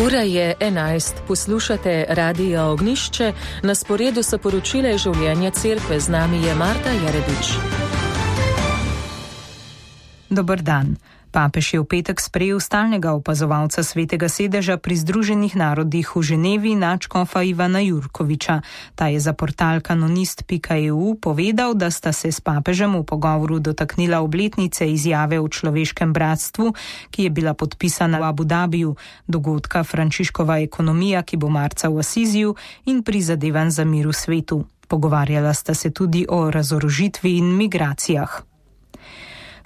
Ura je 11, poslušate Radio Ognjišče, na sporedu so poročile življenja cerkve, z nami je Marta Jeredič. Dober dan. Papež je v petek sprejel stalnega opazovalca Svetega sedeža pri Združenih narodih v Ženevi, nadškofa Ivana Jurkoviča. Ta je za portal kanonist.eu povedal, da sta se s papežem v pogovoru dotaknila obletnice izjave o človeškem bratstvu, ki je bila podpisana v Abu Dabiju, dogodka Frančiškova ekonomija, ki bo marca v Asiziju, in prizadevanj za mir v svetu. Pogovarjala sta se tudi o razorožitvi in migracijah.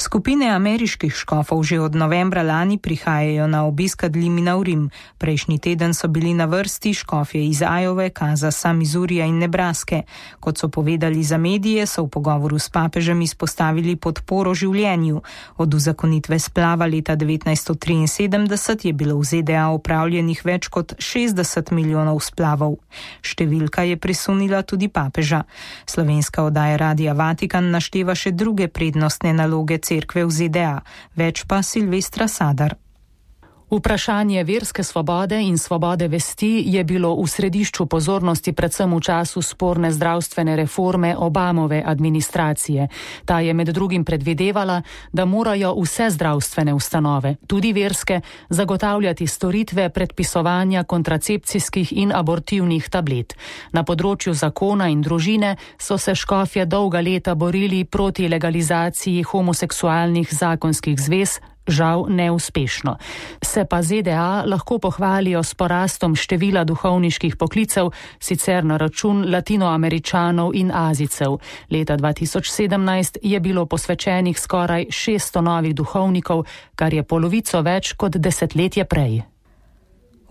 Skupine ameriških škofov že od novembra lani prihajajo na obisk ad limina v Rim. Prejšnji teden so bili na vrsti škofje iz Iove, Kanzasa, Missourija in Nebraske. Kot so povedali za medije, so v pogovoru s papežem izpostavili podporo življenju. Od uzakonitve splava leta 1973 je bilo v ZDA opravljenih več kot 60 milijonov splavov. Številka je presunila tudi papeža. Slovenska oddaja Radia Vatikan našteva še druge prednostne naloge cerkve v ZDA, več pa Silvestra Sadar. Vprašanje verske svobode in svobode vesti je bilo v središču pozornosti predvsem v času sporne zdravstvene reforme Obamove administracije. Ta je med drugim predvidevala, da morajo vse zdravstvene ustanove, tudi verske, zagotavljati storitve predpisovanja kontracepcijskih in abortivnih tablet. Na področju zakona in družine so se škofje dolga leta borili proti legalizaciji homoseksualnih zakonskih zvez, žal neuspešno. Se pa ZDA lahko pohvalijo s porastom števila duhovniških poklicev, sicer na račun latinoameričanov in Azijcev. Leta 2017 je bilo posvečenih skoraj 600 novih duhovnikov, kar je polovico več kot desetletje prej.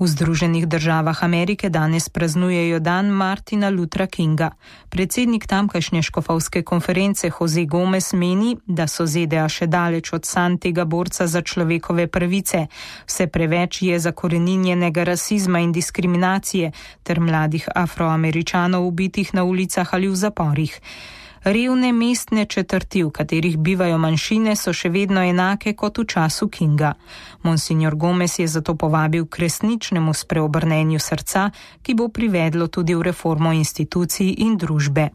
V Združenih državah Amerike danes praznujejo dan Martina Luthera Kinga. Predsednik tamkajšnje škofovske konference Jose Gomez meni, da so ZDA še daleč od sanj tega borca za človekove pravice. Vse preveč je zakoreninjenega rasizma in diskriminacije ter mladih Afroameričanov ubitih na ulicah ali v zaporih. Revne mestne četrti, v katerih bivajo manjšine, so še vedno enake kot v času Kinga. Monsignor Gomez je zato povabil k resničnemu spreobrnenju srca, ki bo privedlo tudi v reformo institucij in družbe.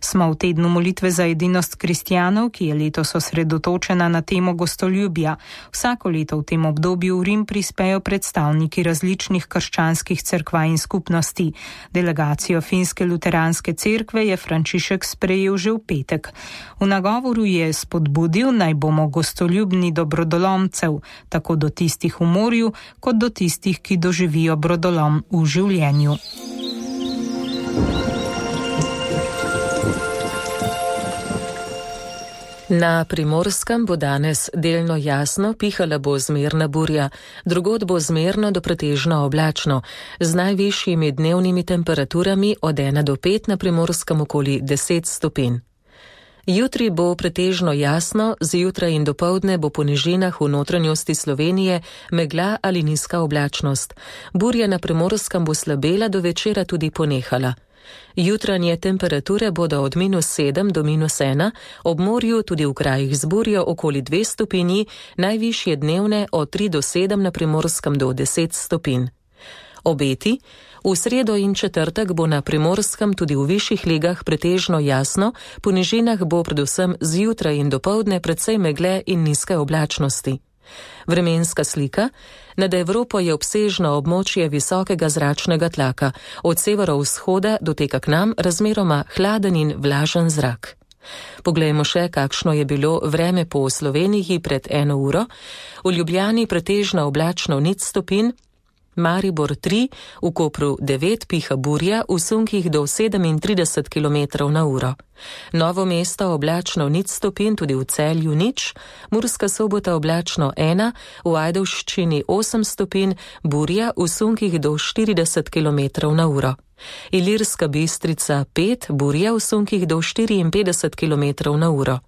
Smo v tednu molitve za edinost kristjanov, ki je letos osredotočena na temo gostoljubja. Vsako leto v tem obdobju v Rim prispejo predstavniki različnih krščanskih cerkva in skupnosti. Delegacijo finske luteranske cerkve je Frančišek sprejel že v petek. V nagovoru je spodbudil, naj bomo gostoljubni do brodolomcev, tako do tistih v morju, kot do tistih, ki doživijo brodolom v življenju. Na Primorskem bo danes delno jasno, pihala bo zmerna burja, drugod bo zmerno do pretežno oblačno, z najvišjimi dnevnimi temperaturami od 1 do 5, na Primorskem okoli 10 stopinj. Jutri bo pretežno jasno, zjutraj in dopoldne bo po nižinah v notranjosti Slovenije megla ali nizka oblačnost. Burja na Primorskem bo slabela, do večera tudi ponehala. Jutranje temperature bodo od -7 do -1, ob morju tudi v krajih z burjo okoli 2 stopinji, najvišje dnevne od 3 do 7, na Primorskem do 10 stopinj. Obeti: v sredo in četrtek bo na Primorskem tudi v višjih legah pretežno jasno, po nižinah bo predvsem zjutraj in dopoldne precej megle in nizke oblačnosti. Vremenska slika: nad Evropo je obsežno območje visokega zračnega tlaka, od severovzhoda doteka k nam razmeroma hladen in vlažen zrak. Poglejmo še, kakšno je bilo vreme po Sloveniji pred 1 uro. V Ljubljani pretežno oblačno 0 stopinj, Maribor 3, v Kopru 9, piha burja, v sunkih do 37 km/h. Novo Mesto oblačno 0 stopinj, tudi v Celju 0, Murska Sobota oblačno 1, v Ajdovščini 8 stopinj, burja, v sunkih do 40 km/h. Ilirska Bistrica 5, burja, v sunkih do 54 km/h.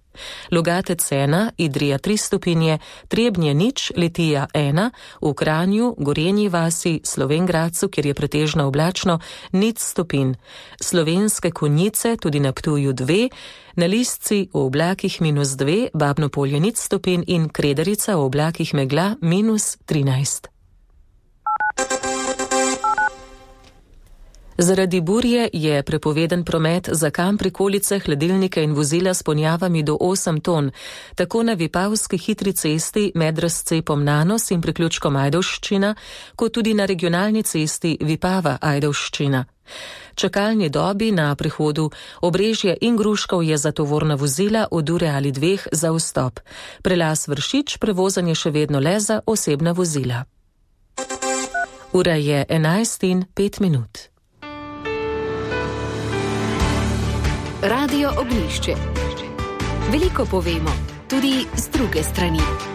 Logatec 1, Idrija 3 stopinje, Trebnje 0, Litija 1, v Kranju, Gorenji vasi, Slovenj Gradcu, kjer je pretežno oblačno, 0 stopinj. Slovenske Konjice, tudi na Ptuju 2, na Listci v oblakih -2, Babno Polje 0 stopinj in Kredarica v oblakih megla -13. Zaradi burje je prepoveden promet za kamp, prikolice, hladilnike in vozila s ponjavami do 8 ton, tako na Vipavski hitri cesti med razcepom Nanos in priključkom Ajdovščina, kot tudi na regionalni cesti Vipava-Ajdovščina. Čakalni dobi na prehodu Obrežje in Gruškov je za tovorna vozila od ure ali 2 za vstop. Prelaz Vršič prevozen je še vedno le za osebna vozila. Ura je 11:05. Radio Oglišče. Veliko povemo, tudi z druge strani.